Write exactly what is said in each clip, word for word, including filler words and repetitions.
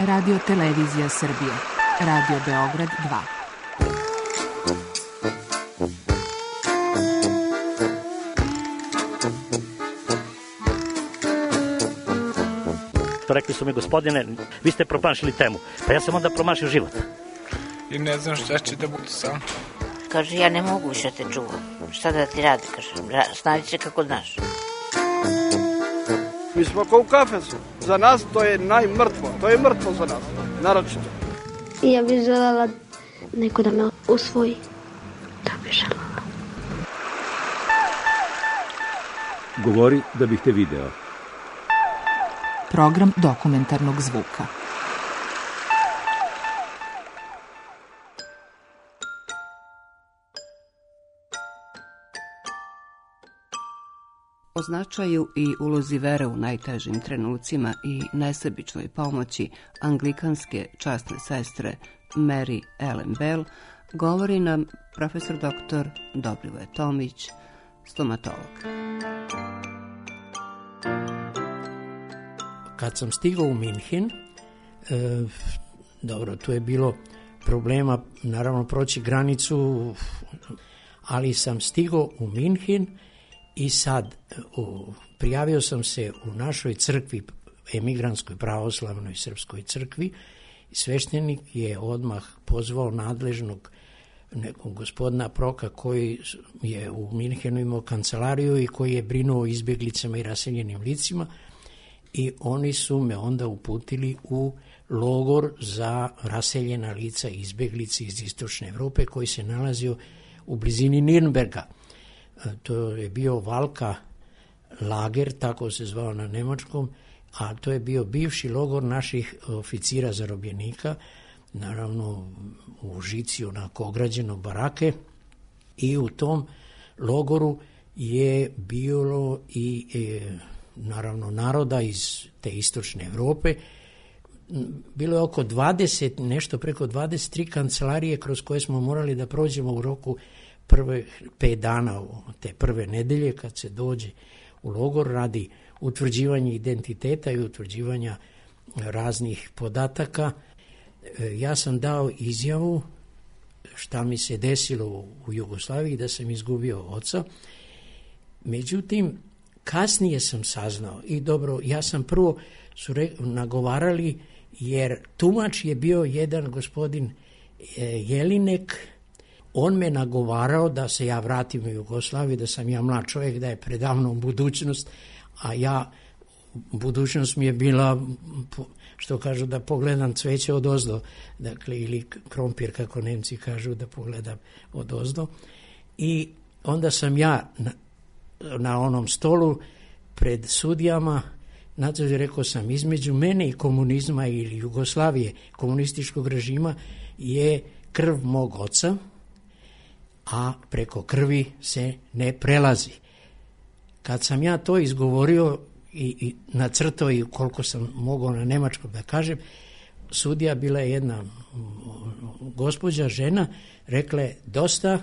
Radio Televizija Srbije, Radio Beograd dva. Rekli su mi, gospodine, vi ste promašili temu. Pa ja sam onda promašio život. I ne znam šta će da bude sam. Kaže, ja ne mogu više te čuvam. Šta da ti radi, kaže, snađi se kako znaš. Mi smo kao u kafesu. Za nas to je najmrtvo. To je mrtvo za nas, naročito. I ja bih želela neko da me usvoji. Da bih želela. Govori da bih te video. Program dokumentarnog zvuka. O značaju i ulozi vere u najtežim trenucima i nesebičnoj pomoći anglikanske časne sestre Mary Ellen Bell govori nam profesor doktor Dobrivoje Tomić, stomatolog. Kad sam stigao u Minhen, e, dobro, tu je bilo problema, naravno, proći granicu, ali sam stigao u Minhen i sad u, prijavio sam se u našoj crkvi, emigrantskoj pravoslavnoj srpskoj crkvi, i sveštenik je odmah pozvao nadležnog nekog gospodina Proka koji je u Minhenu imao kancelariju i koji je brinuo o izbjeglicama i raseljenim licima, i oni su me onda uputili u logor za raseljena lica i izbjeglice iz istočne Evrope koji se nalazio u blizini Nirnberga. To je bio Valka lager, tako se zvao na nemačkom, a to je bio bivši logor naših oficira zarobljenika, naravno u žici onako ograđeno barake, i u tom logoru je bilo i e, naravno naroda iz te istočne Evrope. Bilo je oko dvadeset, nešto preko dvadeset tri kancelarije kroz koje smo morali da prođemo u roku prve pet dana, te prve nedelje kad se dođe u logor radi utvrđivanja identiteta i utvrđivanja raznih podataka. Ja sam dao izjavu šta mi se desilo u Jugoslaviji, da sam izgubio oca. Međutim, kasnije sam saznao, i dobro, ja sam prvo su re, nagovarali, jer tumač je bio jedan gospodin e, Jelinek. On me nagovarao da se ja vratim u Jugoslaviju, da sam ja mlad čovjek, da je predavno budućnost, a ja, budućnost mi je bila, što kažu, da pogledam cveće od ozdo, dakle, ili krompir, kako Nemci kažu, da pogledam od ozdo. I onda sam ja na, na onom stolu pred sudijama, nadzor rekao sam, između mene i komunizma ili Jugoslavije, komunističkog režima, je krv mog oca, a preko krvi se ne prelazi. Kad sam ja to izgovorio i, i nacrtao i koliko sam mogao na nemačkom da kažem, sudija bila je jedna gospođa, žena, rekla je, dosta,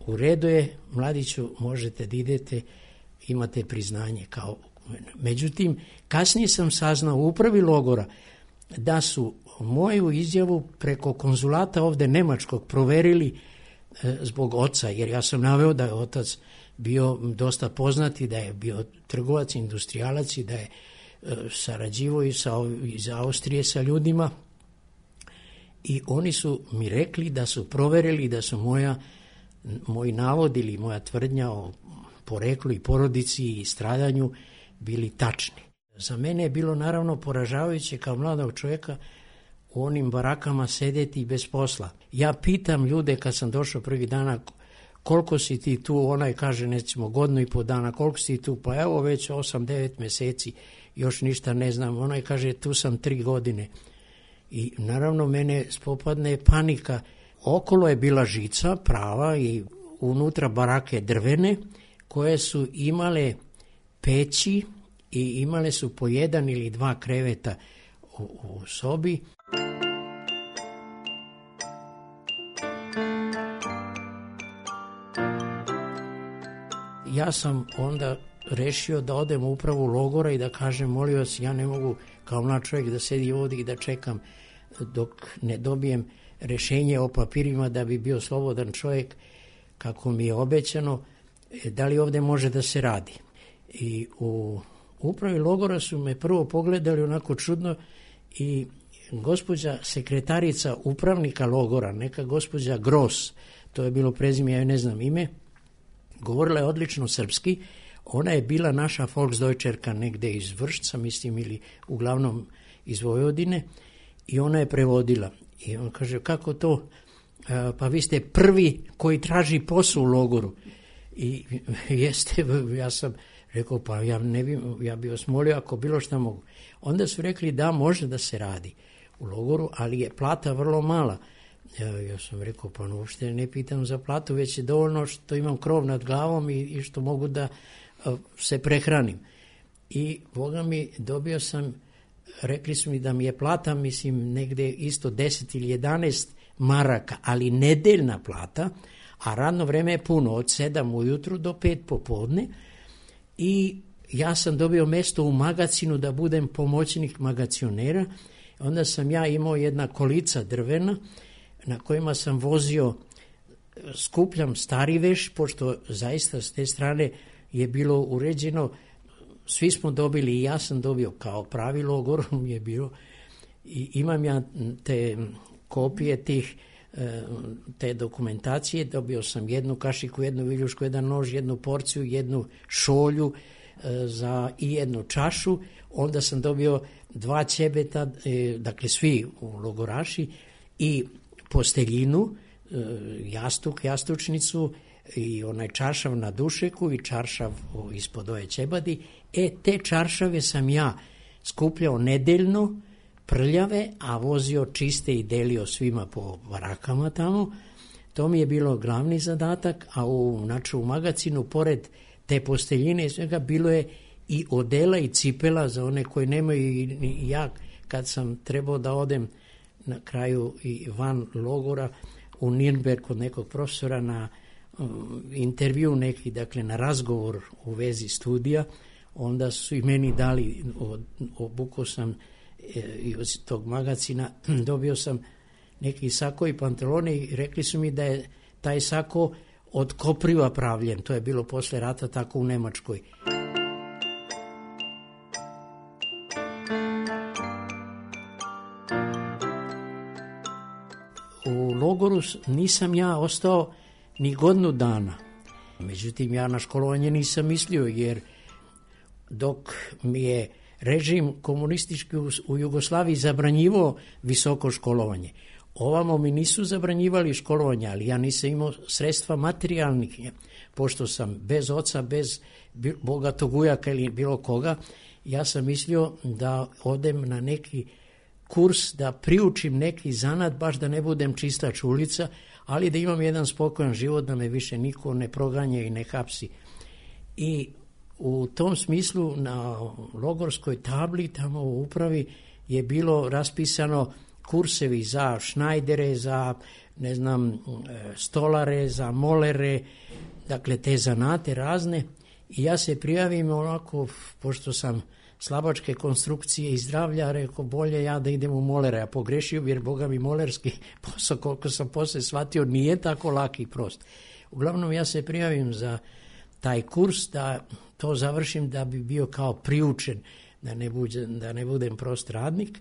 u redu je, mladiću, možete da idete, imate priznanje kao. Međutim, kasnije sam saznao u upravi logora da su moju izjavu preko konzulata ovde nemačkog proverili e, zbog oca, jer ja sam naveo da je otac bio dosta poznati, da je bio trgovac, industrijalac i da je e, sarađivao i sa, iz Austrije sa ljudima, i oni su mi rekli da su proverili da su moja, moj navod ili moja tvrdnja o poreklu i porodici i stradanju bili tačni. Za mene je bilo naravno poražavajuće kao mladog čovjeka u onim barakama sedeti bez posla. Ja pitam ljude kad sam došao prvi dana, koliko si ti tu, onaj kaže recimo godinu i po dana, koliko si ti tu, pa evo već osam devet mjeseci, još ništa ne znam, onaj kaže tu sam tri godine. I naravno mene spopadne panika. Okolo je bila žica prava i unutra barake drvene koje su imale peći i imale su po jedan ili dva kreveta u, u sobi. Ja sam onda rešio da odem u upravu logora i da kažem, molim vas, ja ne mogu kao mlad čovjek da sedi ovdje i da čekam dok ne dobijem rešenje o papirima da bi bio slobodan čovjek kako mi je obećano, da li ovdje može da se radi. I u upravi logora su me prvo pogledali onako čudno i gospođa sekretarica upravnika logora, neka gospođa Gros, to je bilo prezime, ja ne znam ime, govorila je odlično srpski, ona je bila naša Volksdeutscherka negde iz Vršca, mislim, ili uglavnom iz Vojvodine, i ona je prevodila. I on kaže, kako to? Pa vi ste prvi koji traži posao u logoru. I jeste, ja sam rekao, pa ja ne bi, ja bi vas molio ako bilo šta mogu. Onda su rekli da može da se radi u logoru, ali je plata vrlo mala. Ja, ja sam rekao, pa uopšte ne pitam za platu, već je dovoljno što imam krov nad glavom i, i što mogu da a, se prehranim. I Boga mi, dobio sam, rekli su mi da mi je plata, mislim, negde isto deset ili jedanaest maraka, ali nedeljna plata, a radno vreme je puno, od sedam ujutru do pet popodne, i ja sam dobio mesto u magacinu da budem pomoćnik magacionera. Onda sam ja imao jedna kolica drvena na kojima sam vozio, skupljam stari veš, pošto zaista s te strane je bilo uređeno, svi smo dobili i ja sam dobio kao pravi logor je bilo, i imam ja te kopije tih te dokumentacije, dobio sam jednu kašiku, jednu viljušku, jedan nož, jednu porciju, jednu šolju za, i jednu čašu, onda sam dobio dva ćebeta, dakle svi logoraši, i posteljinu, jastuk, jastučnicu i onaj čaršav na dušeku i čaršav ispod ove ćebadi. E, te čaršave sam ja skupljao nedeljno, prljave, a vozio čiste i delio svima po barakama tamo. To mi je bilo glavni zadatak, a u, znači, u magacinu, pored te posteljine i svega, bilo je i odela i cipela za one koji nemaju. I, i ja, kad sam trebao da odem na kraju i van logora u Nürnberg kod nekog profesora na um, intervju neki, dakle na razgovor u vezi studija, onda su i meni dali, obukao sam i od tog magacina, dobio sam neki sako i pantalone i rekli su mi da je taj sako od kopriva pravljen. To je bilo posle rata tako u Nemačkoj. U logoru nisam ja ostao ni godinu dana. Međutim, ja na školovanje nisam mislio, jer dok mi je režim komunistički u Jugoslaviji zabranjivao visoko školovanje, ovamo mi nisu zabranjivali školovanje, ali ja nisam imao sredstva materijalnih, pošto sam bez oca, bez bogatog ujaka ili bilo koga. Ja sam mislio da odem na neki kurs, da priučim neki zanat, baš da ne budem čistač ulica, ali da imam jedan spokojan život, da me više niko ne proganja i ne hapsi. I u tom smislu na logorskoj tabli tamo u upravi je bilo raspisano kursevi za šnajdere, za ne znam stolare, za molere, dakle te zanate razne, i ja se prijavim onako, pošto sam slabačke konstrukcije i zdravlja, rekao bolje ja da idem u molere, a pogrešio, jer boga mi molerski posao, koliko sam posle shvatio, nije tako laki i prost. Uglavnom ja se prijavim za taj kurs, da to završim, da bi bio kao priučen, da ne, budem, da ne budem prost radnik.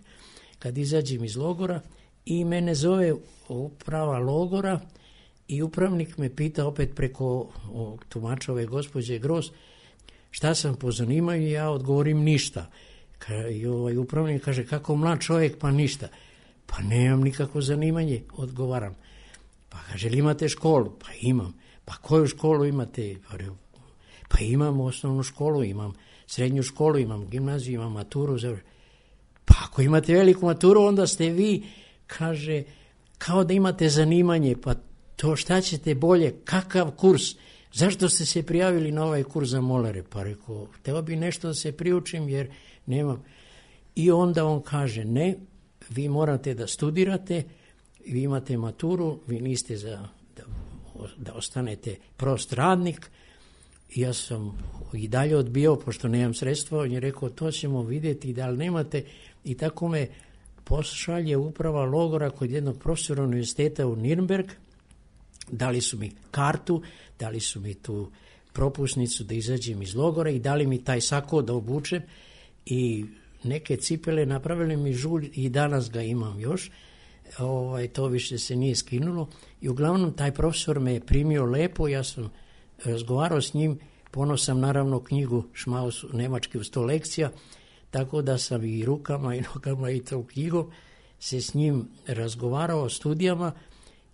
Kad izađem iz logora, i mene zove uprava logora i upravnik me pita opet preko tumačove gospođe Gros šta sam po zanimanju, i ja odgovorim ništa. I ovaj upravnik kaže, kako mlad čovjek, pa ništa. Pa nemam nikako zanimanje, odgovaram. Pa kaže, li imate školu? Pa imam. Pa koju školu imate? Pa, pa imam osnovnu školu, imam srednju školu, imam gimnaziju, imam maturu. Pa ako imate veliku maturu, onda ste vi, kaže, kao da imate zanimanje, pa to šta ćete bolje, kakav kurs? Zašto ste se prijavili na ovaj kurs za molere? Pa rekao, hteo bi nešto da se priučim, jer nemam. I onda on kaže, ne, vi morate da studirate, vi imate maturu, vi niste za da, da ostanete prost radnik, ja sam i dalje odbio, pošto nemam sredstva, on je rekao, to ćemo vidjeti, da li nemate, i tako me pošalje uprava logora kod jednog profesora univerziteta u Nürnberg, dali su mi kartu, dali su mi tu propusnicu da izađem iz logora i dali mi taj sako da obučem i neke cipele, napravili mi žulj i danas ga imam još, ovaj, to više se nije skinulo i uglavnom taj profesor me je primio lepo, ja sam razgovarao s njim, ponos sam naravno knjigu Šmaus nemački u sto lekcija, tako da sam i rukama i nogama i tom knjigom se s njim razgovarao o studijama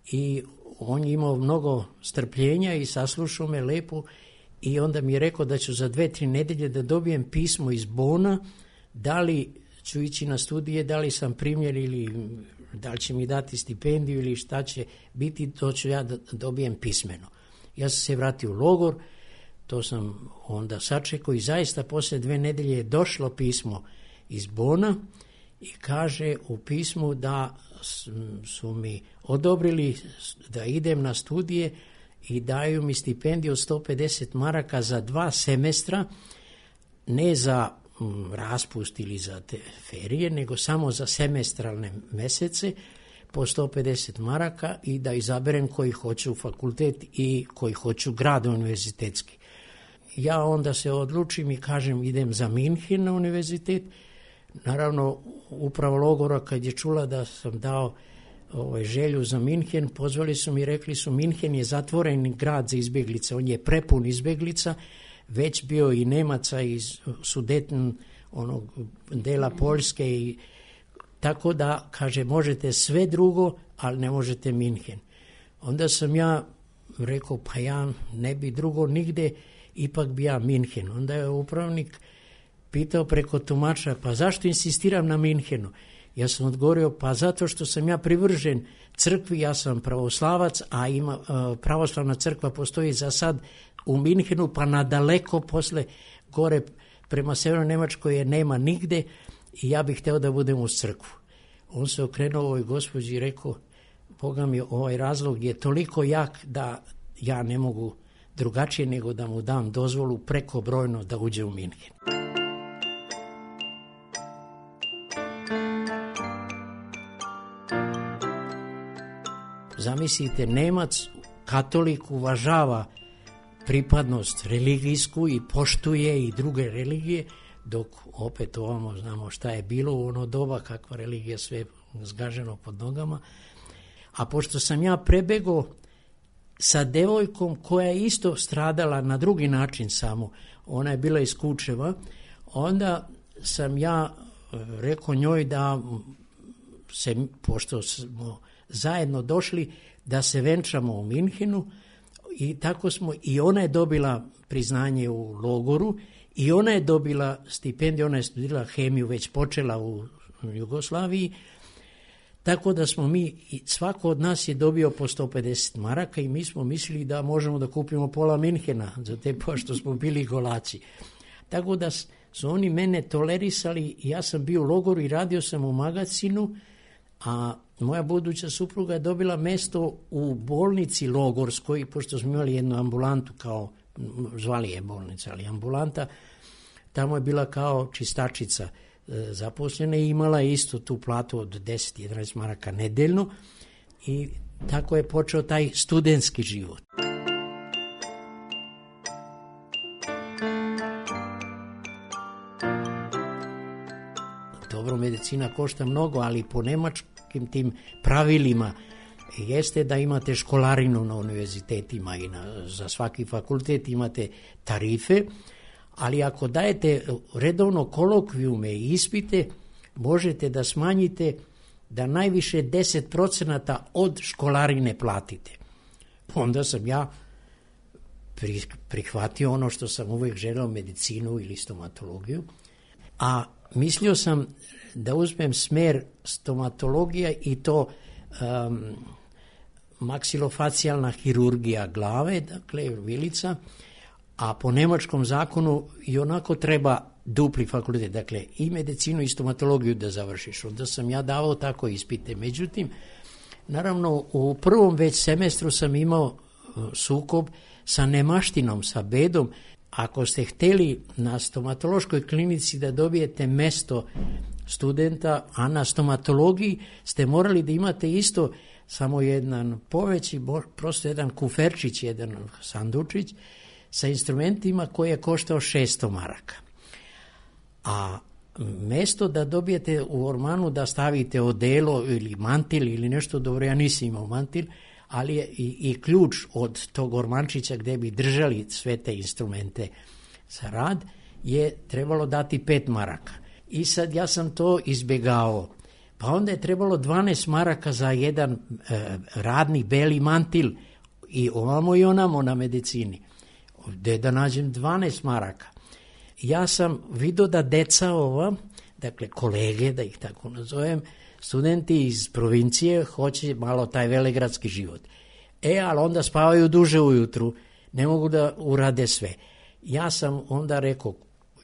i on je imao mnogo strpljenja i saslušao me lepo i onda mi je rekao da ću za dve, tri nedelje da dobijem pismo iz Bona, da li ću ići na studije, da li sam primljen ili da li će mi dati stipendiju ili šta će biti, to ću ja da dobijem pismeno. Ja sam se vratio u logor, to sam onda sačekao i zaista poslije dve nedelje je došlo pismo iz Bona i kaže u pismu da su mi odobrili da idem na studije i daju mi stipendiju od sto pedeset maraka za dva semestra, ne za m, raspust ili za te ferije, nego samo za semestralne mesece po sto pedeset maraka i da izaberem koji hoću fakultet i koji hoću grad univerzitetski. Ja onda se odlučim i kažem idem za Minhen na univerzitet. Naravno, upravo logora kad je čula da sam dao ovaj, želju za Minhen, pozvali su mi i rekli su Minhen je zatvoren grad za izbjeglice, on je prepun izbjeglica, već bio i Nemaca iz Sudeten, onog dela Poljske, i tako da, kaže, možete sve drugo, ali ne možete Minhen. Onda sam ja rekao, pa ja ne bi drugo nigde, ipak bi ja Minhen. Onda je upravnik pitao preko tumača, pa zašto insistiram na Minhenu? Ja sam odgovorio, pa zato što sam ja privržen crkvi, ja sam pravoslavac, a ima, pravoslavna crkva postoji za sad u Minhenu, pa nadaleko posle gore prema Severnoj Nemačkoj je nema nigde i ja bih hteo da budem uz crkvu. On se okrenuo ovoj gospođi i rekao, Boga mi, ovaj razlog je toliko jak da ja ne mogu drugačije nego da mu dam dozvolu prekobrojno da uđe u Minhen. Zamislite, Nemac, katolik, uvažava pripadnost religijsku i poštuje i druge religije, dok opet ovamo znamo šta je bilo u ono doba, kakva religija, sve zgaženo pod nogama. A pošto sam ja prebegao sa devojkom koja je isto stradala na drugi način samo, ona je bila iz Kučeva, onda sam ja rekao njoj da se, pošto smo zajedno došli, da se venčamo u Minhenu i tako smo, i ona je dobila priznanje u logoru i ona je dobila stipendiju, ona je studirala hemiju, već počela u Jugoslaviji, tako da smo mi, svako od nas je dobio po sto pedeset maraka i mi smo mislili da možemo da kupimo pola Minhena, za te pošto smo bili golaci. Tako da su oni mene tolerisali, ja sam bio u logoru i radio sam u magazinu, a moja buduća supruga je dobila mesto u bolnici logorskoj, pošto smo imali jednu ambulantu, kao, zvali je bolnica, ali ambulanta, tamo je bila kao čistačica zaposlena i imala je isto tu platu od deset do jedanaest maraka nedeljno i tako je počeo taj studentski život. Dobro, medicina košta mnogo, ali po nemačkim tim pravilima jeste da imate školarinu na univerzitetima i na, za svaki fakultet imate tarife, ali ako dajete redovno kolokvijume i ispite, možete da smanjite da najviše deset procenata od školarine platite. Onda sam ja prihvatio ono što sam uvijek želeo, medicinu ili stomatologiju, a mislio sam da uzmem smer stomatologija i to um, maksilofacijalna hirurgija glave, dakle vilica, a po nemačkom zakonu i onako treba dupli fakultet, dakle i medicinu i stomatologiju da završiš. Onda sam ja davao tako ispite. Međutim, naravno u prvom već semestru sam imao sukob sa nemaštinom, sa bedom. Ako ste hteli na stomatološkoj klinici da dobijete mesto studenta, a na stomatologiji ste morali da imate isto samo jedan poveći, prosto jedan kuferčić, jedan sandučić sa instrumentima koji je koštao šesto maraka. A mesto da dobijete u ormanu da stavite odelo ili mantil ili nešto, dobro, ja nisam imao mantil, ali je i, i ključ od tog ormančića gde bi držali sve te instrumente za rad je trebalo dati pet maraka. I sad ja sam to izbjegao. Pa onda je trebalo dvanaest maraka za jedan e, radni beli mantil i ovamo i onamo na medicini. Gde da nađem dvanaest maraka? Ja sam vidio da deca ova, dakle kolege, da ih tako nazovem, studenti iz provincije hoće malo taj velegradski život. E, ali onda spavaju duže ujutru, ne mogu da urade sve. Ja sam onda rekao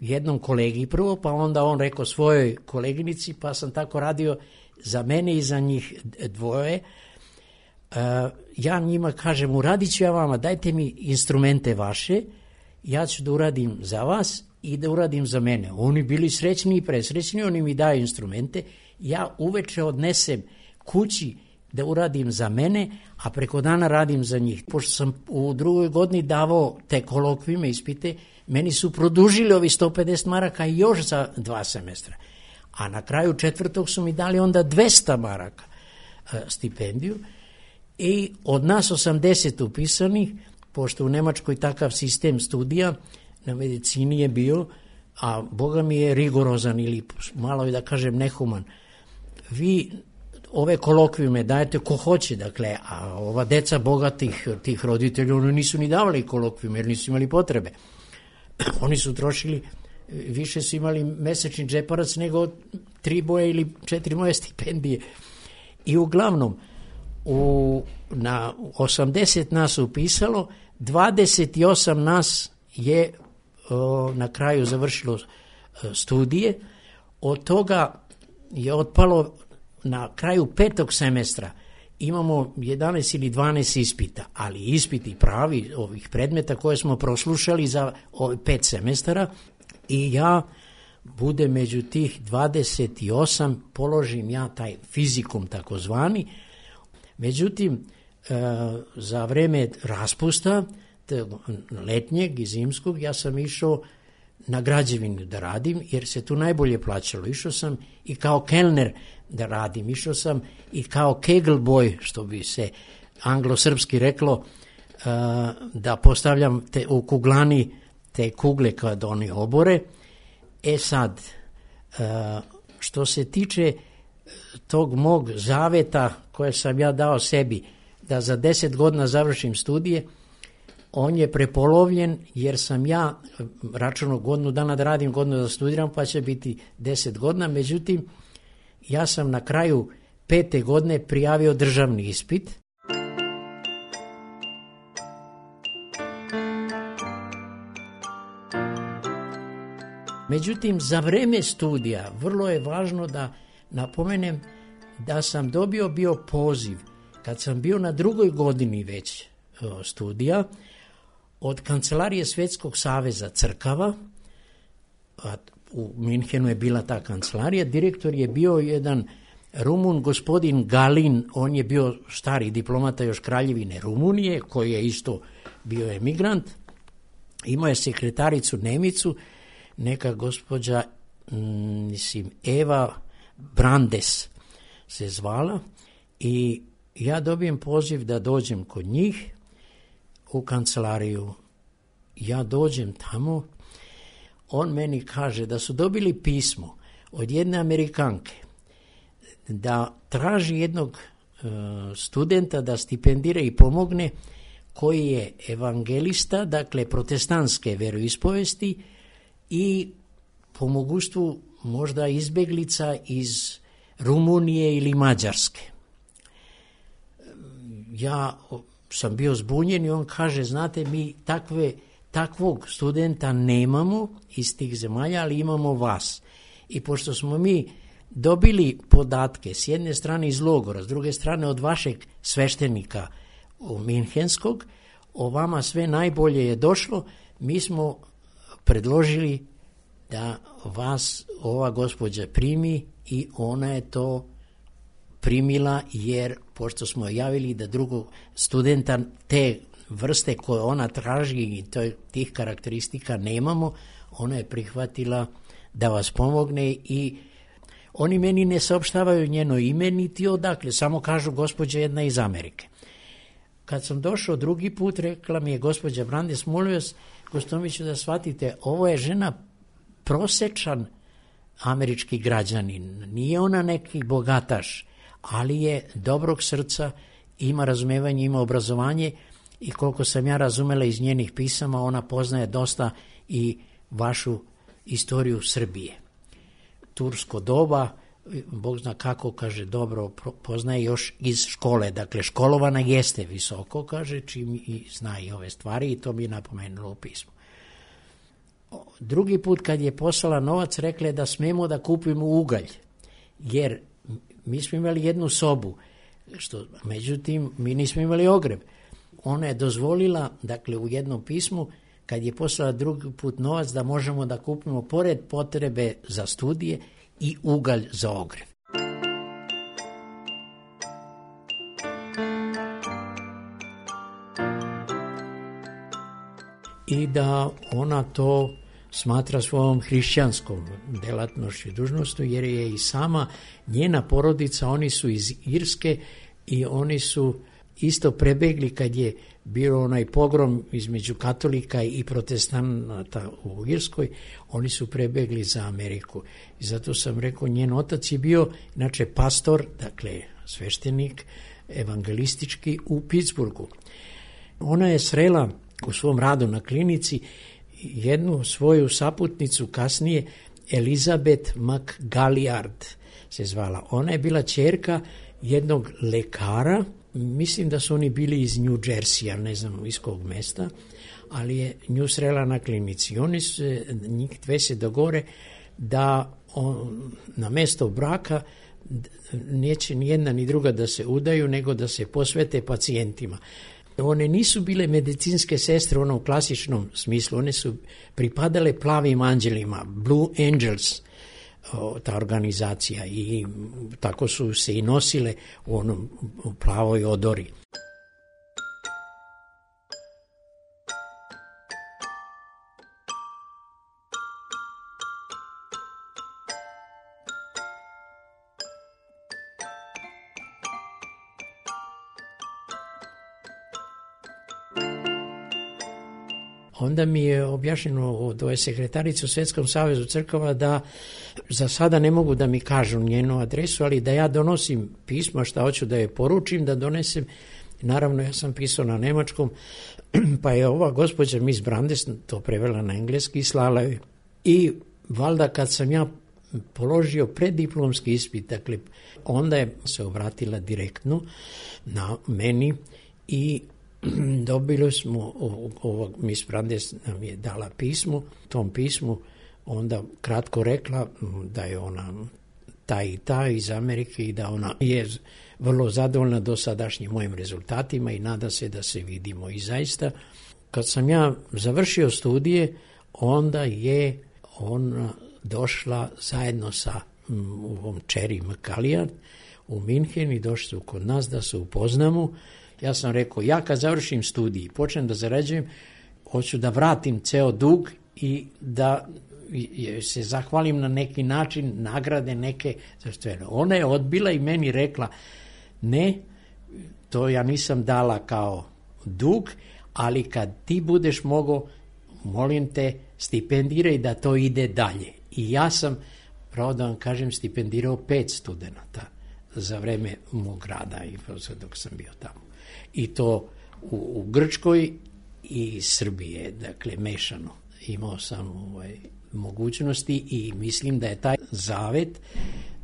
jednom kolegi prvo, pa onda on rekao svojoj koleginici, pa sam tako radio za mene i za njih dvoje. Uh, ja njima kažem, uradit ću ja vama, dajte mi instrumente vaše, ja ću da uradim za vas i da uradim za mene. Oni bili srećni i presrećni, oni mi daju instrumente, ja uveče odnesem kući da uradim za mene, a preko dana radim za njih. Pošto sam u drugoj godini davao te kolokvijme ispite, meni su produžili ovi sto pedeset maraka još za dva semestra. A na kraju četvrtog su mi dali onda dvesta maraka e, stipendiju. I od nas osamdeset upisanih, pošto u Nemačkoj takav sistem studija na medicini je bio, a Boga mi je rigorozan ili malo je da kažem nehuman. Vi ove kolokvijume dajete ko hoće, dakle, a ova deca bogatih tih roditelja, oni nisu ni davali kolokvijume jer nisu imali potrebe. Oni su trošili, više su imali mesečni džeparac nego tri boje ili četiri moje stipendije. I uglavnom, u, na osamdeset nas upisalo, dvadeset osam nas je o, na kraju završilo o, studije, od toga je otpalo na kraju petog semestra imamo jedanaest ili dvanaest ispita, ali ispiti pravi ovih predmeta koje smo proslušali za ovih pet semestara i ja budem među tih dvadeset osam, položim ja taj fizikum takozvani. Međutim, e, za vreme raspusta letnjeg i zimskog ja sam išao na građevinu da radim, jer se tu najbolje plaćalo. Išao sam i kao kelner da radim, išao sam i kao kegelboj, što bi se anglo-srpski reklo, uh, da postavljam te, u kuglani te kugle kad oni obore. E sad, uh, što se tiče tog mog zaveta koje sam ja dao sebi, da za deset godina završim studije, on je prepolovljen jer sam ja računao godinu dana da radim, godinu da studiram, pa će biti deset godina. Međutim, ja sam na kraju pete godine prijavio državni ispit. Međutim, za vreme studija vrlo je važno da napomenem da sam dobio bio poziv kad sam bio na drugoj godini već studija od Kancelarije Svetskog saveza crkava, a u Minhenu je bila ta kancelarija, direktor je bio jedan Rumun, gospodin Galin, on je bio stari diplomata još Kraljevine Rumunije, koji je isto bio emigrant, imao je sekretaricu Nemicu, neka gospođa, mislim, Eva Brandes se zvala i ja dobijem poziv da dođem kod njih u kancelariju. Ja dođem tamo, on meni kaže da su dobili pismo od jedne Amerikanke da traži jednog uh, studenta da stipendira i pomogne koji je evangelista, dakle protestantske veroispovesti i po mogućstvu možda izbeglica iz Rumunije ili Mađarske. Ja sam bio zbunjen i on kaže, znate, mi takve, takvog studenta nemamo iz tih zemalja, ali imamo vas. I pošto smo mi dobili podatke s jedne strane iz logora, s druge strane od vašeg sveštenika u Minhenskog, o vama sve najbolje je došlo, mi smo predložili da vas ova gospođa primi i ona je to primila, jer pošto smo javili da drugog studenta te vrste koje ona traži i tih karakteristika nemamo, ona je prihvatila da vas pomogne i oni meni ne saopštavaju njeno ime niti odakle, samo kažu gospođa jedna iz Amerike. Kad sam došao drugi put, rekla mi je gospođa Brandes, molim vas, Gostomiću, da shvatite, ovo je žena prosečan američki građanin, nije ona neki bogataš, ali je dobrog srca, ima razumevanje, ima obrazovanje i koliko sam ja razumela iz njenih pisama, ona poznaje dosta i vašu istoriju Srbije. Tursko doba, Bog zna kako, kaže, dobro poznaje još iz škole, dakle školovana jeste visoko, kaže, čim i zna i ove stvari i to mi je napomenulo u pismu. Drugi put kad je poslala novac, rekla je da smemo da kupimo ugalj, jer mi smo imali jednu sobu, što, međutim, mi nismo imali ogreb. Ona je dozvolila, dakle, u jednom pismu, kad je poslala drugi put novac, da možemo da kupimo, pored potrebe za studije, i ugalj za ogreb. I da ona to smatra svojom hrišćanskom delatnošću i dužnostu, jer je i sama njena porodica, oni su iz Irske i oni su isto prebegli kad je bio onaj pogrom između katolika i protestanata u Irskoj, oni su prebegli za Ameriku. I zato sam rekao, njen otac je bio, inače, pastor, dakle sveštenik, evangelistički u Pittsburghu. Ona je srela u svom radu na klinici jednu svoju saputnicu kasnije, Elizabeth McGalliard se zvala. Ona je bila ćerka jednog lekara, mislim da su oni bili iz New Jersey, ne znam iz kog mesta, ali je nju srela na klinici. Oni se, njih dve se dogovore da on, na mesto braka neće ni jedna ni druga da se udaju, nego da se posvete pacijentima. One nisu bile medicinske sestre u onom klasičnom smislu, one su pripadale plavim anđelima, Blue Angels, ta organizacija, i tako su se i nosile u onom u plavoj odori. Onda mi je objašnjeno od ove sekretarice u Svjetskom savezu crkava da za sada ne mogu da mi kažu njenu adresu, ali da ja donosim pismo, šta hoću da je poručim, da donesem. Naravno, ja sam pisao na nemačkom, pa je ova gospođa Miss Brandes to prevela na engleski i slala joj. I valjda kad sam ja položio preddiplomski ispit, dakle, onda je se obratila direktno na meni i dobili smo, ovog Miss Brandes nam je dala pismo, tom pismu onda kratko rekla da je ona ta i ta iz Amerike i da ona je vrlo zadovoljna dosadašnjim mojim rezultatima i nada se da se vidimo. I zaista, kad sam ja završio studije, onda je ona došla zajedno sa ovom Cherry McGalliard u Minhen i došli su kod nas da se upoznamo. Ja sam rekao, ja kad završim studij i počnem da zarađujem, hoću da vratim ceo dug i da se zahvalim na neki način, nagrade neke. Ona je odbila i meni rekla, ne, to ja nisam dala kao dug, ali kad ti budeš mogao, molim te, stipendiraj da to ide dalje. I ja sam, pravo da vam kažem, stipendirao pet studenata za vreme mog rada i dok sam bio tamo. I to u, u Grčkoj i Srbije, dakle mešano. Imao sam ovaj, mogućnosti i mislim da je taj zavet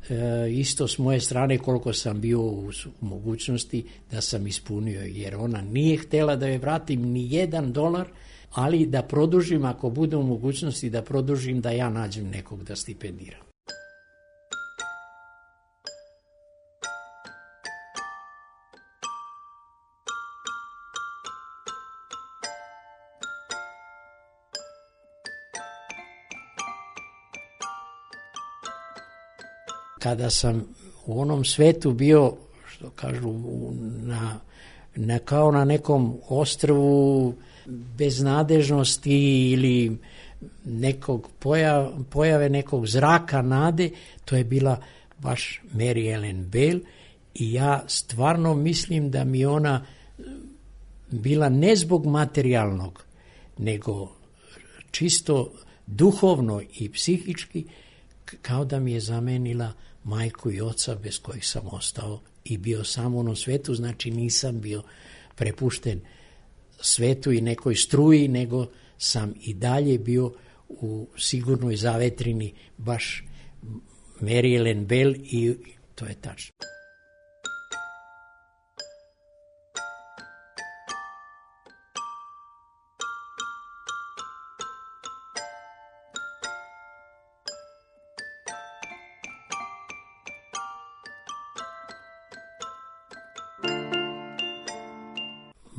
e, isto s moje strane koliko sam bio u, u mogućnosti da sam ispunio, jer ona nije htjela da je vratim ni jedan dolar, ali da produžim, ako bude u mogućnosti da produžim, da ja nađem nekog da stipendiram. kada sam u onom svetu bio, što kažu, na, na, kao na nekom ostrvu beznadežnosti ili nekog pojav, pojave nekog zraka nade, to je bila baš Mary Ellen Bell i ja stvarno mislim da mi ona bila ne zbog materijalnog, nego čisto duhovno i psihički, kao da mi je zamenila majku i oca bez kojih sam ostao i bio sam u onom svetu, znači nisam bio prepušten svetu i nekoj struji, nego sam i dalje bio u sigurnoj zavetrini baš Mary Ellen Bell i to je tačno.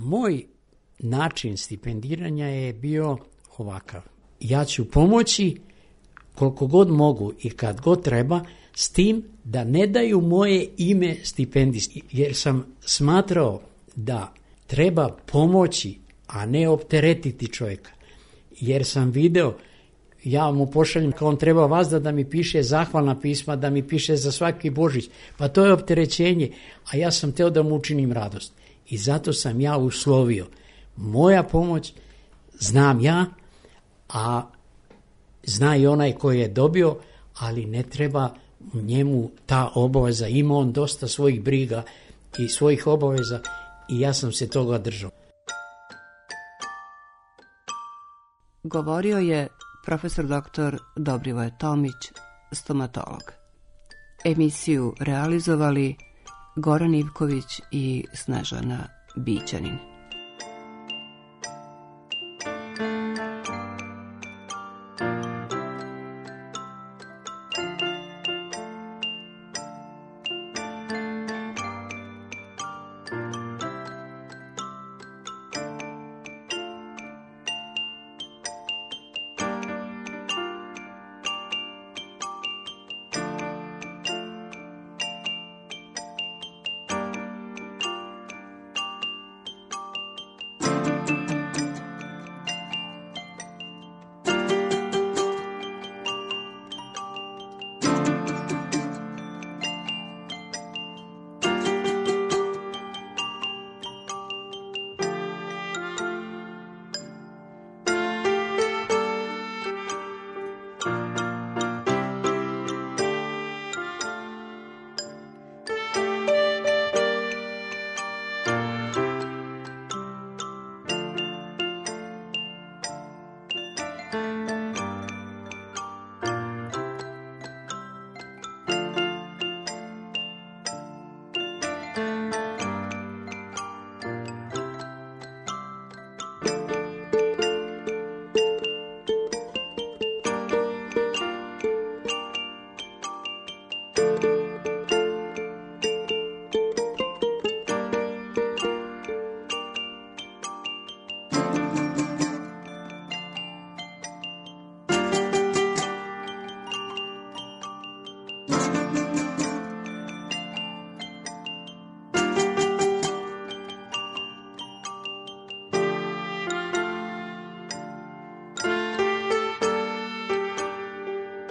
Moj način stipendiranja je bio ovakav. Ja ću pomoći koliko god mogu i kad god treba, s tim da ne daju moje ime stipendisti, jer sam smatrao da treba pomoći, a ne opteretiti čovjeka. Jer sam video, ja mu pošaljem kao on treba vas da, da mi piše zahvalna pisma, da mi piše za svaki Božić, pa to je opterećenje, a ja sam teo da mu učinim radost. I zato sam ja uslovio, moja pomoć znam ja, a zna i onaj koji je dobio, ali ne treba njemu ta obaveza. Ima on dosta svojih briga i svojih obaveza i ja sam se toga držao. Govorio je profesor doktor Dobrivoje Tomić, stomatolog. Emisiju realizovali Goran Ivković i Snežana Bićanin. Thank you.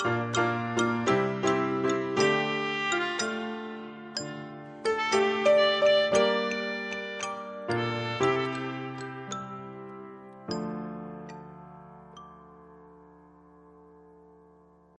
Thank you.